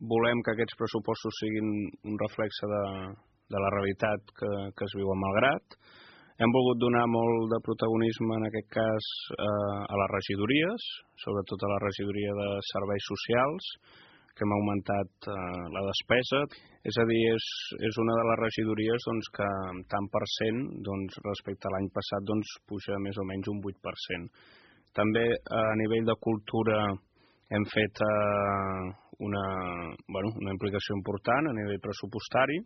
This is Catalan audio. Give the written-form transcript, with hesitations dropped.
volem que aquests pressupostos siguin un reflexe de la realitat que es viu a Malgrat. Hem volgut donar molt de protagonisme, en aquest cas, a les regidories, sobretot a la regidoria de serveis socials, que hem augmentat la despesa. És a dir, és una de les regidories que tant per cent respecte a l'any passat puja més o menys un 8%. També a nivell de cultura hem fet una implicació important a nivell pressupostari.